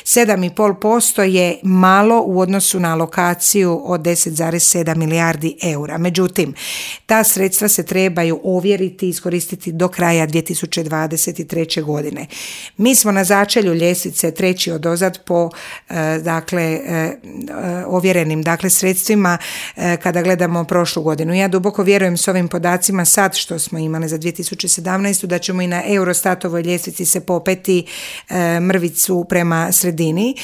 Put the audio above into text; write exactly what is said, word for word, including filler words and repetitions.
sedam zarez pet posto je malo u odnosu na alokaciju od deset zarez sedam milijardi eura. Međutim, ta sredstva se trebaju ovjeriti i iskoristiti do kraja dvije tisuće dvadeset treće godine. Mi smo na začelju ljestvice, treći odozad po dakle ovjerenim dakle sredstvima kada gledamo prošlu godinu. Ja duboko vjerujem s ovim podacima sad što smo imali za dvije tisuće sedamnaestu da ćemo i na Eurostatovoj ljestvici se popeti mrvicu prema sredini.